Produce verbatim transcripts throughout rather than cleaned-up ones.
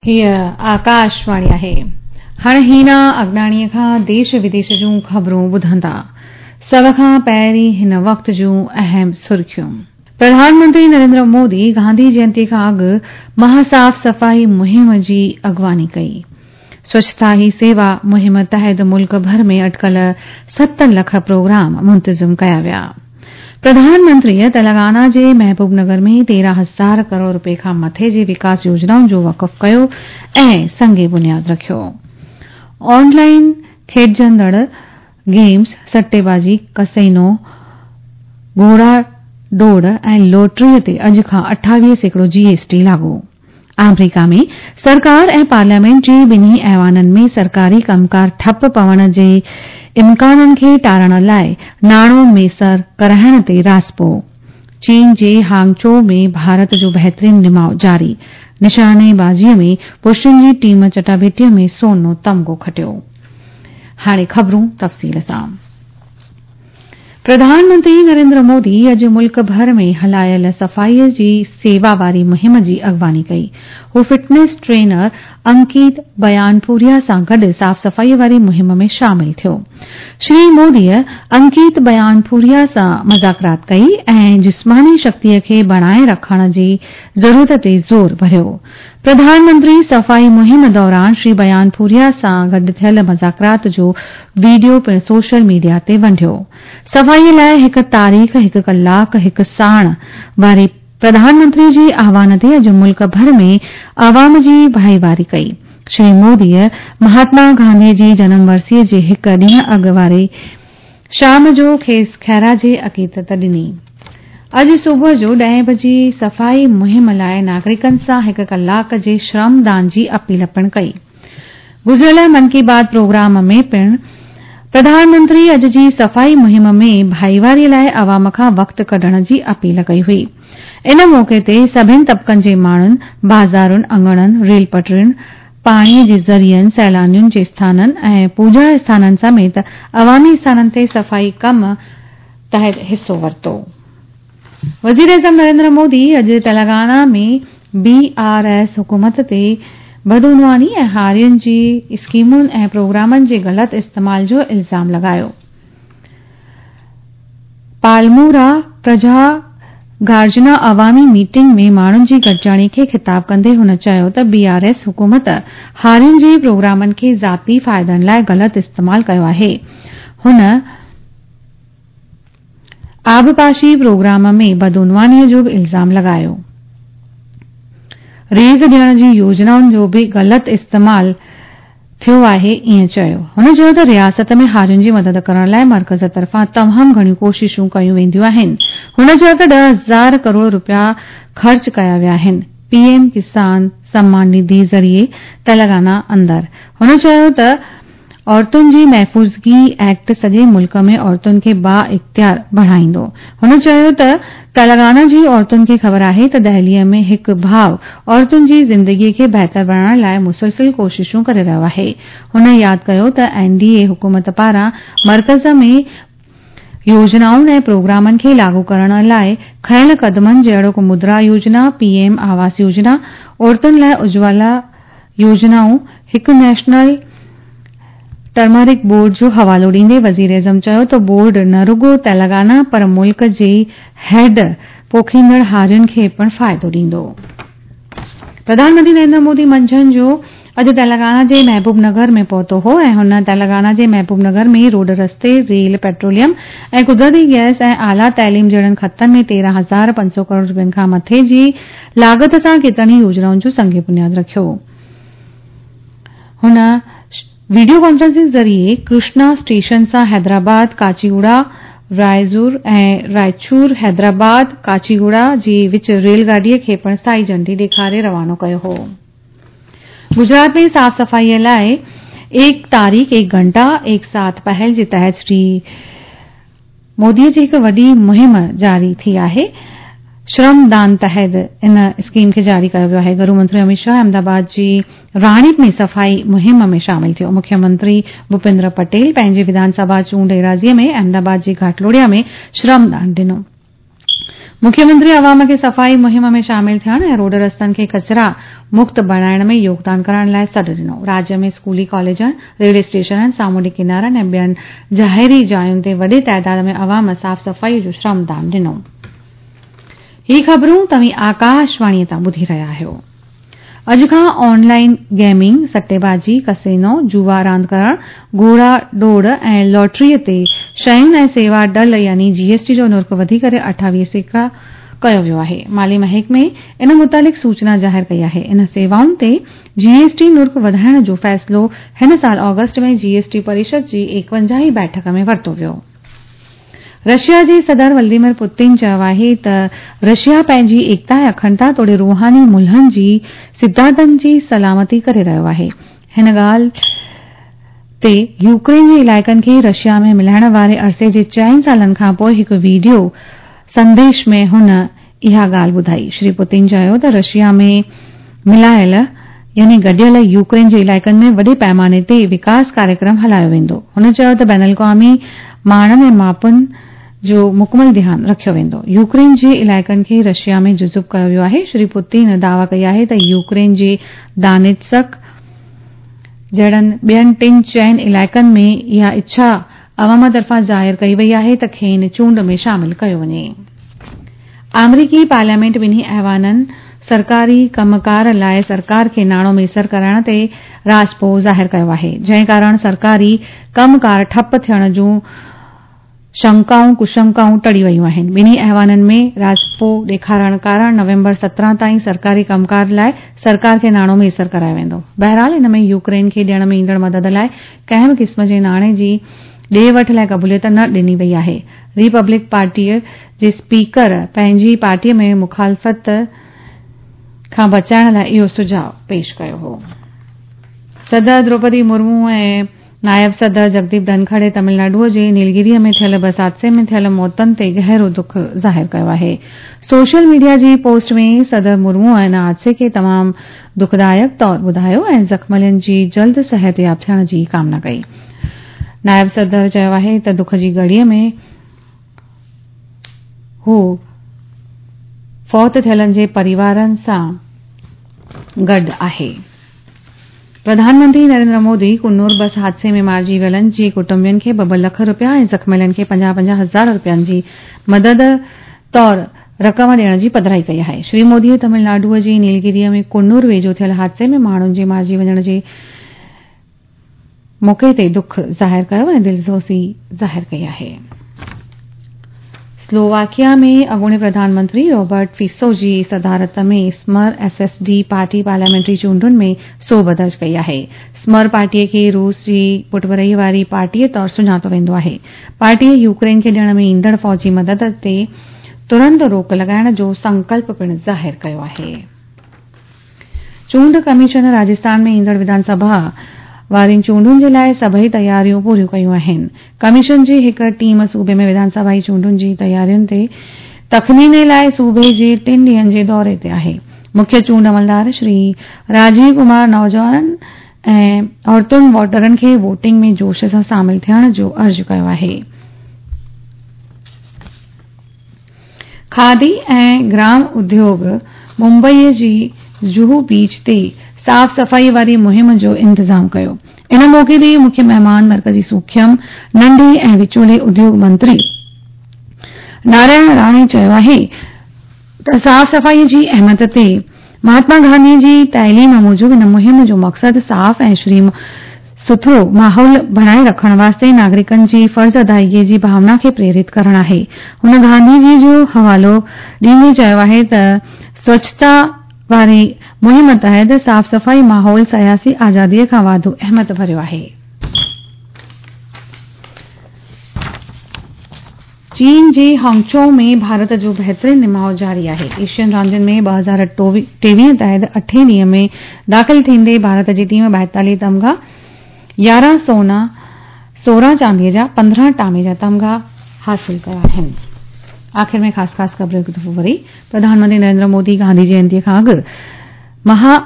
हीअ आकाशवाणी आहे। हाणे हीना अगनाणीअ खां देश विदेश जूं ख़बरूं ॿुधंदा। सभ खां पहिरीं हिन वक़्त जूं अहम सुर्खियूं। प्रधानमंत्री नरेंद्र मोदी गांधी जयंती खां अॻु महासाफ़ सफ़ाई मुहिम जी अॻुवानी कई। स्वच्छता ही सेवा मुहिम तहत मुल्क भर में अटकल सत लख प्रोग्राम मुंतज़िम कया विया। प्रधानमंत्रीअ तेलंगाना जे महबूब नगर में तेरहं हज़ार करोड़ रुपए खां मथे जे विकास योजनाउनि जो वक़फ़ कयो ऐं संग बुनियाद रखियो। ऑनलाइन खेॾजंदड़ गेम्स, सट्टेबाज़ी, कसेनो, घोड़ा दौड़ ऐं लॉटरीअ ते अॼु खां अठावीह सैकड़ो जीएसटी लागू। आमेरिका में सरकार ऐं पार्लियामेंट जे ॿिन्ही ऐवाननि में सरकारी कमकार ठप पवण जे इम्काननि खे टारण लाइ नाणो मैसर कराइण ते राज़पो। चीन जे हांगचो में भारत जो बहितरीन निमाव जारी। निशानेबाज़ीअ में पुरुषनि जी टीम चटाभेटीअ में सोनो तमगो खटियो। हाणे ख़बरूं तफ़सील सां। प्रधानमंत्री नरेंद्र मोदी अॼु मुल्क भर में हलायल सफ़ाईअ जी सेवा वारी मुहिम जी अॻुवानी कई। हू फिटनेस ट्रेनर अंकित बयानपुरिया सां गॾु साफ़ सफ़ाईअ वारी मुहिम में शामिल थियो। श्री मोदीअ अंकित बयानपुरिया सां मुज़ाकरात कई ऐं जिस्मानी शक्तीअ खे बणाए रखण जी ज़रूरत ते ज़ोर भरियो। प्रधानमंत्री सफ़ाई मुहिम दौरान श्री बयानपुरिया सां गॾु थियल मुज़ाकरात जो वीडियो पिणु सोशल मीडिया ते वंडियो। सफ़ाईअ लाइ हिकु तारीख़, हिकु कलाक, हिकु साण वारे प्रधानमंत्री जे आह्वान ते अॼु मुल्क भर में आवाम जी भाईवारी कई। श्री मोदीअ महात्मा गांधीअ जी जनम वरसीअ जे हिकु ॾींहुं अॻु वारे शाम जो खेसि ख़िराज अक़ीदत ॾिनी। अॼु सुबुह जो ॾहें बजे सफ़ाई मुहिम लाइ नागरिकनि सां हिकु कलाक जे श्रमदान जी अपील पिणु कई। गुज़िरियल मन की बात प्रोग्राम में पिणु प्रधानमंत्री अॼु जी सफ़ाई मुहिम में भाईवारी लाइ आवाम खां वक़्तु कढण जी अपील कई हुई। इन मौक़े ते सभिनी तबक़नि जे माण्हुनि बाज़ारुनि, अंगणनि, रेल पटरियुनि, पाणीअ जे ज़रियनि, सैलानियुनि जे स्थाननि ऐं पूॼा स्थाननि समेत अवामी स्थाननि ते सफ़ाई कम तहत हिसो वरितो। वज़ीर-ए-आज़म नरेंद्र मोदी अॼु तेलंगाना में बीआरएस हुकूमत ते बदउनवानी ऐं हारियुनि जी स्कीमुनि ऐं प्रोग्रामनि जे ग़लति इस्तेमाल जो इल्ज़ाम लॻायो। पालमूरा प्रजा गार्जना अवामी मीटिंग में माण्हुनि जी गॾिजाणी खे ख़िताब कंदे हुन चयो त बीआरएस हुकूमत हारियुनि जे प्रोग्रामनि खे ज़ाती फ़ाइदनि लाइ ग़लति इस्तेमाल कयो आहे। हुन आबपाशी प्रोग्राम में बदउनवानीअ जो बि इल्ज़ाम लॻायो। रेज़ ॾियण जी योजनाउनि जो बि ग़लति इस्तेमाल थियो आहे, ईअं चयो। हुन चयो त रियासत में हारियुनि जी मदद करण लाइ मर्कज़ तरफ़ां तमामु घणियूं कोशिशूं कयूं वेंदियूं आहिनि। हुन चयो त ॾह हज़ार करोड़ रुपया ख़र्च कया विया आहिनि पीएम किसान सम्मान निधि ज़रिए तेलंगाना अंदरि। हुन चयो त औरतुनि जी महफ़ूज़गी एक्ट सॼे मुल्क में औरतुनि खे बा इख़्तियार बढ़ाईंदो। हुन चयो त तेलंगाना जी औरतुनि खे ख़बर आहे त दिल्लीअ में हिकु भाउ औरतुनि जी ज़िंदगीअ खे बहितर बणाइण लाइ मुसलसिल कोशिशूं करे रहियो आहे। हुन यादि कयो त एनडीए हुकूमत पारां मर्कज़ में योजनाउनि ऐं प्रोग्रामनि खे लागू करण लाइ खयल क़दमनि जहिड़ोक मुद्रा योजना, पीएम आवास योजना, औरतुनि लाइ उज्ज्वला योजनाऊं, हिकु नेशनल टर्मरिक बोर्ड जो हवालो ॾींदे वज़ीर-ए-आज़म चयो त बोर्ड न रुगो तेलंगाना पर मुल्क जे हेड पोखींदड़ हारियुनि खे पिणु फ़ाइदो ॾींदो। प्रधानमंत्री नरेंद्र मोदी मंझंदि जो अॼु तेलंगाना जे महबूब नगर में पहुतो हो ऐं हुन तेलंगाना जे महबूब नगर में रोड रस्ते, रेल, पेट्रोलियम ऐं कुदरती गैस ऐं आला तालीम जहिड़नि खतनि में तेरहं हज़ार पंज सौ करोड़ रुपयनि खां मथे जी लागत सां केतिरनि ई योजनाउनि जो संग बुनियाद रखियो। हुन वीडियो कॉन्फ्रेंसिंग ज़रिए कृष्णा स्टेशन सां हैदराबाद, काचीगुड़ा, रायज़ूर ऐं रायचूर हैदराबाद काचीगुड़ा जे विच रेलगाॾीअ खे पिणु साई झंडी ॾेखारे रवानो कयो हो। गुजरात में साफ़ सफ़ाईअ लाइ एक तारीख़ एक घंटा एक साथ पहल जे तहत श्री मोदीअ जी हिकु वॾी मुहिम जारी थी आहे। श्रमदान तहत इन स्कीम खे जारी कयो वियो आहे। गृह मंत्री अमित शाह अहमदाबाद जी राणीप में सफ़ाई मुहिम में शामिल थियो। मुख्यमंत्री भूपेंद्र पटेल पंहिंजी विधानसभा चूंड एराज़ीअ में अहमदाबाद जी घाटलोडिया में श्रमदान ॾिनो। मुख्यमंत्री अवाम खे सफ़ाई मुहिम में शामिल थियण ऐं रोड रस्तनि खे कचरा मुक्त बणाइण में योगदान करण लाइ सॾु ॾिनो। राज्य में स्कूली कॉलेजनि, रेलवे स्टेशननि, सामुंडी किनारनि ऐं ॿियनि ज़ाहिरी जायुनि ते वॾे ताइदाद में अवाम साफ़ सफ़ाई जो श्रमदान ॾिनो। ही ख़बरूं तव्हीं आकाशवाणीअ तां ॿुधी रहिया आहियो। अॼु खां ऑनलाइन गेमिंग, सट्टेबाजी, कसीनो, जुआ रांदि करण, घोड़ा दौड़ ऐं लॉटरीअ ते शयुनि ऐं सेवा डल यानी जीएसटी जो नुर्ख़ वधी करे अठावीह सैकड़ा कयो वियो आहे। माली महकमे इन मुतालिक़ सूचना ज़ाहिर कई आहे। इन सेवाउनि ते जीएसटी नुर्ख़ वधाइण जो फ़ैसिलो हिन साल ऑगस्ट में जीएसटी परिषद जी एकवंजाहीं बैठक में वरितो वियो। रशिया जे सदर व्लादिमीर पुतिन चयो आहे त रशिया पंहिंजी एकता ऐं अखंडता तोड़े रूहानी मुल्हनि जी सिद्धांतनि जी सलामती करे रहियो आहे। हिन ॻाल्हि ते यूक्रेन जे इलाइक़नि खे रशिया में मिलाइण वारे अरसे जे चइनि सालनि खां पोइ हिकु वीडियो संदेश में हुन इहा ॻाल्हि ॿुधाई। श्री पुतिन चयो त रशिया में मिलायल यानी गॾियल यूक्रेन जे इलाइक़नि में वॾे पैमाने ते विकास कार्यक्रम हलायो वेंदो। हुन चयो त बैनुल अक़वामी माणनि ऐं मापुनि जो मुकमल ध्यानु रखियो वेंदो। यूक्रेन जे इलाइक़नि खे रशिया में जुज़ुब कयो वियो आहे। श्री पुतिन दावा कई आहे त यूक्रेन जे दानित्सक जहिड़नि ॿियनि टिनि चइनि इलाइक़नि में इहा इच्छा अवाम तरफ़ां ज़ाहिर कई वई आहे त खेनि चूंड में शामिल कयो वञे। आमरीकी पार्लियामेंट ॿिन्ही ऐवाननि सरकारी कमकार लाइ सरकार खे नाणो मयसर कराइण ते राज़पो ज़ाहिर कयो आहे, जंहिं कारण सरकारी कमकार ठप थियण जूं शंकाऊं कुशंकाऊं टड़ी वयूं आहिनि। ॿिन्ही ऐवाननि में राज़पो ॾेखारण कारण नवंबर सत्रहं ताईं सरकारी कमकार लाइ सरकार खे नाणो मयसर करायो वेंदो। बहरहाल इन में यूक्रेन खे ॾियण में ईंदड़ मदद लाइ कंहिं बि क़िस्म जे नाणे जी ॾे वठ लाइ क़बूलियत न ॾिनी वई आहे। रिपब्लिक पार्टीअ जे स्पीकर पंहिंजी पार्टीअ में मुखालफ़त खां बचाइण लाइ इहो सुझाउ पेश कयो हो। सदर द्रौपदी मुर्मू ऐं नायब सदर जगदीप धनखड़ तमिलनाडुअ जे नीलगिरीअ में थियल बस हादसे में थियल मौतुनि ते गहरो दुख ज़ाहिर कयो आहे। सोशल मीडिया जी पोस्ट में सदर मुर्मू इन हादसे खे तमामु दुखदायक तौर ॿुधायो ऐं ज़ख़्मियुनि जी जल्द सिहतयाब थियण जी कामना कई। नायब सदर चयो आहे त दुख जी घड़ीअ में हू फौत थियलनि जे परिवारनि सां गॾु आहे। प्रधानमंत्री नरेंद्र मोदी कुन्नूर बस हादसे में मारिजी वियलनि जे कुटुंबियुनि खे ॿ ॿ लख रुपया ऐं ज़ख़्मियलनि खे पंजाह पंजाह हज़ार रुपयनि जी मदद तौर रक़म ॾियण जी पधराई कई आहे। श्री मोदीअ तमिलनाडुअ जे नीलगिरीअ में कुन्नूर वेझो थियल हादसे में माण्हुनि जे मारिजी वञण जे मौक़े ते दुख ज़ाहिर कयो ऐं दिलज़ोसी ज़ाहिर कई आहे। स्लोवाकिया में अॻूणे प्रधानमंत्री रॉबर्ट फिसो जी सदारत में स्मर एसएसडी पार्टी पार्लियामेंट्री चूंडुनि में सोभ दर्ज कई आहे। स्मर पार्टीअ खे रूस जी पुटभरई वारी पार्टीअ तौर सुञातो वेंदो आहे। पार्टीअ यूक्रेन खे ॾियण में ईंदड़ फ़ौजी मदद ते तुरंत रोक लॻाइण जो संकल्प पिणु ज़ाहिर कयो आहे। चूंड कमीशन राजस्थान में ईंदड़ विधानसभा वारियुनि चूंडुनि जे लाइ सभई तयारियूं पूरियूं कयूं आहिनि। कमीशन जी हिकु टीम सूबे में विधानसभा चूंडुनि जी तयारियुनि ते तख़मीने लाइ सूबे जे टिनि ॾींहंनि जे दौरे ते आहे। मुख्य चूंड अमलदार श्री राजीव कुमार नौजवाननि ऐं औरतुनि वोटरनि खे वोटिंग में जोश सां शामिल थियण जो अर्ज़ु कयो आहे। खादी ऐं ग्राम उद्योग मुंबईअ जी जुहू बीच ते साफ़ सफ़ाई वारी मुहिम जो इंतज़ाम कयो। इन मौक़े ते मुख्य महिमान मरकज़ी सूख्यम नंढे ऐं विचोले उद्योग मंत्री नारायण राणे चयो आहे त साफ़ सफ़ाई जी अहमियत ते महात्मा गांधी जी तालीम मूजिबि इन मुहिम जो मक़सदु साफ़ ऐं श्रीम सुथरो माहौल बणाए रखण वास्ते नागरिकनि जी फ़र्ज़ अदायगी जी भावना खे प्रेरित करणु आहे। हुन गांधीजी जो हवालो ॾींदे चयो आहे त स्वच्छता वारी मुहिम तहत साफ़ सफ़ाई माहौल सियासी आज़ादीअ खां वाधू अहमियत भरियो आहे। चीन जे हांगचो में भारत जो बहितरीन निमाउ जारी आहे। एशियन रांदियुनि में ॿ हज़ार टेवीह तहत अठें ॾींहं में दाख़िल थींदे भारत जी टीम ॿाएतालीह तमगा, यारहं सोना, सोरहं चांदीअ जा, पंद्रहं टामे जा तमगा हासिल कया आहिनि। आख़िर में ख़ासि ख़ासि ख़बरूं हिकु दफ़ो वरी। प्रधानमंत्री नरेंद्र मोदी गांधी जयंतीअ खां अॻु महा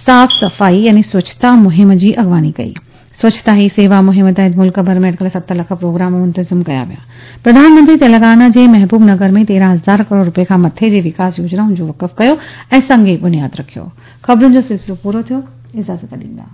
साफ़ सफ़ाई यानी स्वच्छता मुहिम जी अॻवानी कई। سوڇتا هي سيوا مهم تحت ملڪ ڀر ۾ اٽڪل ست لک پروگرام منتظم ڪيا ويا. پرڌان منتري تيلنگانا جي محبوب نگر ۾ تيرهن هزار ڪروڙ روپين کان مٿي جي وڪاس يوجنائن جو وقف ڪيو ۽ سنگ بنياد رکيو. خبرن جو سلسلو پورو ٿيو. اجازت ڏيندا.